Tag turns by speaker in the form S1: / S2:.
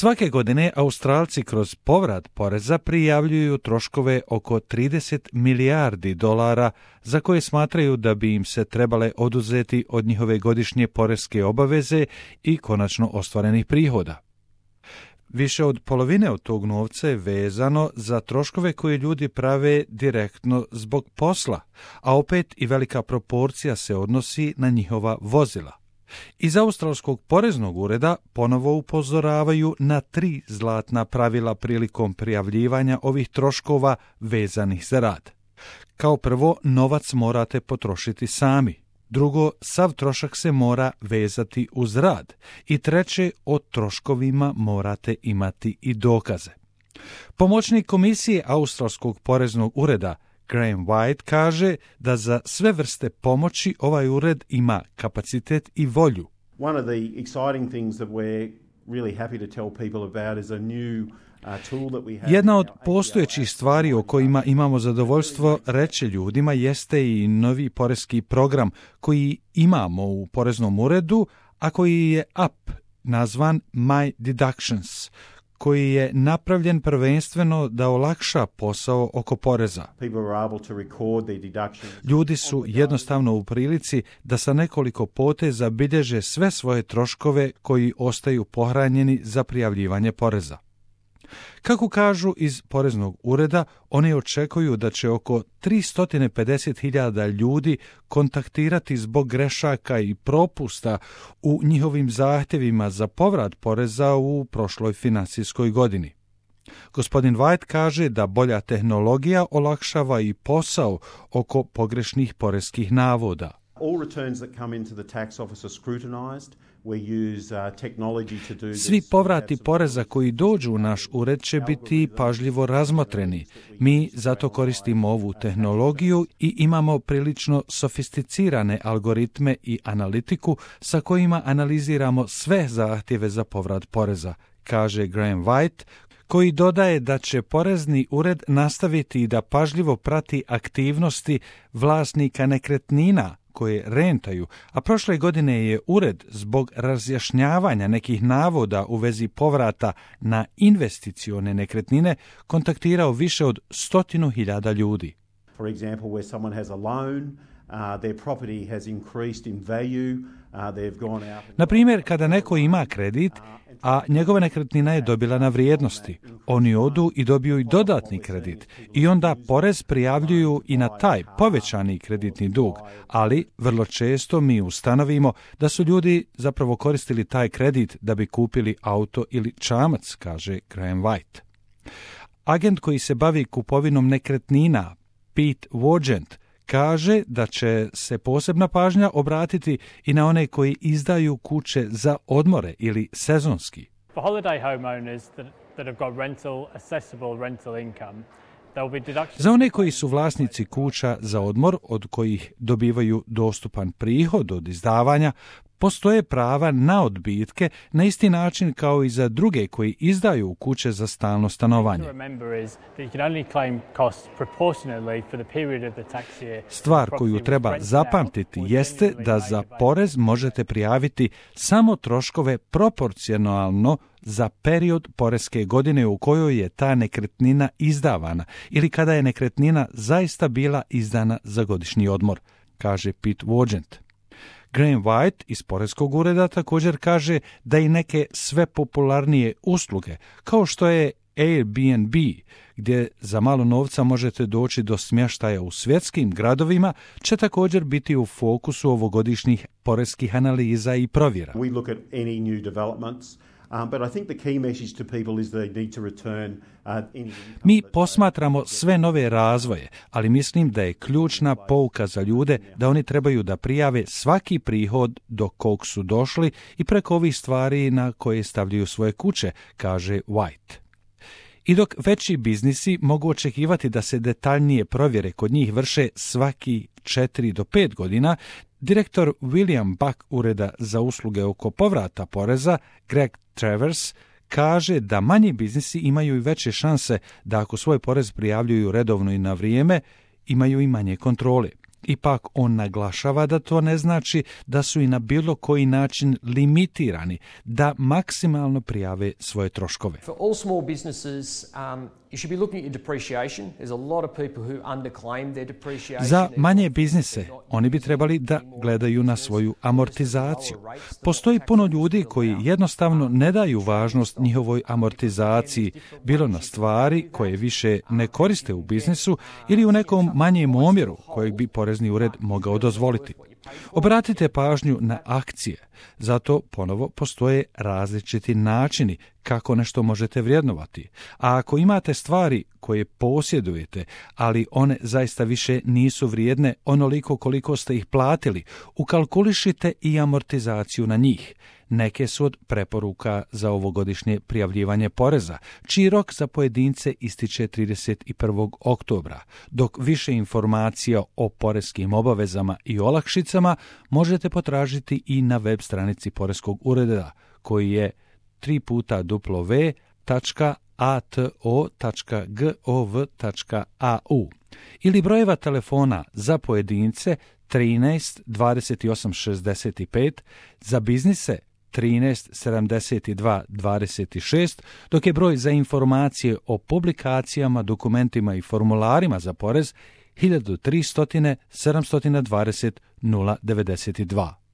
S1: Svake godine Australci kroz povrat poreza prijavljuju troškove oko 30 milijardi dolara za koje smatraju da bi im se trebale oduzeti od njihove godišnje poreske obaveze i konačno ostvarenih prihoda. Više od polovine od tog novca je vezano za troškove koje ljudi prave direktno zbog posla, a opet i velika proporcija se odnosi na njihova vozila. Iz Australskog poreznog ureda ponovo upozoravaju na 3 zlatna pravila prilikom prijavljivanja ovih troškova vezanih za rad. Kao prvo, novac morate potrošiti sami. Drugo, sav trošak se mora vezati uz rad. I treće, o troškovima morate imati i dokaze. Pomoćnik komisije Australskog poreznog ureda Graham White kaže da za sve vrste pomoći ovaj ured ima kapacitet i volju.
S2: One of the exciting things that we're really happy to tell people about is a new tool that we have.
S1: Jedna od postojećih stvari o kojima imamo zadovoljstvo reći ljudima jeste i novi poreski program koji imamo u poreznom uredu, a koji je app nazvan My Deductions, koji je napravljen prvenstveno da olakša posao oko poreza. Ljudi su jednostavno u prilici da sa nekoliko poteza bilježe sve svoje troškove koji ostaju pohranjeni za prijavljivanje poreza. Kako kažu iz poreznog ureda, oni očekuju da će oko 350.000 ljudi kontaktirati zbog grešaka i propusta u njihovim zahtjevima za povrat poreza u prošloj financijskoj godini. Gospodin White kaže da bolja tehnologija olakšava i posao oko pogrešnih poreskih navoda.
S2: All returns that come into the tax office are scrutinized.
S1: Svi povrati poreza koji dođu u naš ured će biti pažljivo razmotreni. Mi zato koristimo ovu tehnologiju i imamo prilično sofisticirane algoritme i analitiku sa kojima analiziramo sve zahtjeve za povrat poreza, kaže Graham White, koji dodaje da će porezni ured nastaviti da pažljivo prati aktivnosti vlasnika nekretnina koje rentaju, a prošle godine je ured zbog razjašnjavanja nekih navoda u vezi povrata na investicione nekretnine kontaktirao više od 100.000 ljudi.
S2: For example, where someone has a loan, their property has increased in value, they've gone out.
S1: Na primjer, kada neko ima kredit, a njegova nekretnina je dobila na vrijednosti, oni odu i dobiju i dodatni kredit i onda porez prijavljuju i na taj povećani kreditni dug, ali vrlo često mi ustanovimo da su ljudi zapravo koristili taj kredit da bi kupili auto ili čamac, kaže Graham White. Agent koji se bavi kupovinom nekretnina, Pete Wogent, kaže da će se posebna pažnja obratiti i na one koji izdaju kuće za odmore ili sezonski.
S3: For holiday homeowners that have got accessible rental income,
S1: za one koji su vlasnici kuća za odmor od kojih dobivaju dostupan prihod od izdavanja, postoje prava na odbitke na isti način kao i za druge koji izdaju kuće za stalno stanovanje. Stvar koju treba zapamtiti jeste da za porez možete prijaviti samo troškove proporcionalno za period poreske godine u kojoj je ta nekretnina izdavana ili kada je nekretnina zaista bila izdana za godišnji odmor, kaže Pete Wogent. Graham White iz poreskog ureda također kaže da i neke sve popularnije usluge, kao što je Airbnb, gdje za malo novca možete doći do smještaja u svjetskim gradovima, će također biti u fokusu ovogodišnjih poreskih analiza i provjera.
S2: We look at any new developments. But I think the key message to people is they need to return
S1: Mi posmatramo sve nove razvoje, ali mislim da je ključna pouka za ljude da oni trebaju da prijave svaki prihod do kog su došli i preko ovih stvari na koje stavljaju svoje kuće, kaže White. I dok veći biznisi mogu očekivati da se detaljnije provjere kod njih vrše svaki 4 do 5 godina, direktor William Buck ureda za usluge oko povrata poreza, Greg Travers, kaže da manji biznisi imaju i veće šanse da ako svoj porez prijavljuju redovno i na vrijeme, imaju i manje kontrole. Ipak on naglašava da to ne znači da su i na bilo koji način limitirani da maksimalno prijave svoje troškove.
S4: For all small businesses, you should be looking at your depreciation. There's a lot of people who underclaim their depreciation.
S1: Za manje biznise, oni bi trebali da gledaju na svoju amortizaciju. Postoji puno ljudi koji jednostavno ne daju važnost njihovoj amortizaciji, bilo na stvari koje više ne koriste u biznisu ili u nekom manjem omjeru kojeg bi porezni ured mogao dozvoliti. Obratite pažnju na akcije, zato ponovo postoje različiti načini kako nešto možete vrijednovati. A ako imate stvari koje posjedujete, ali one zaista više nisu vrijedne onoliko koliko ste ih platili, ukalkulišite i amortizaciju na njih. Neke su od preporuka za ovogodišnje prijavljivanje poreza, čiji rok za pojedince ističe 31. oktobra, dok više informacija o poreskim obavezama i olakšicama možete potražiti i na web stranici Poreskog ureda, koji je www.ato.gov.au ili brojeva telefona za pojedince 13 28 65, za biznise 13 72 26, dok je broj za informacije o publikacijama, dokumentima i formularima za porez 1300 720 092.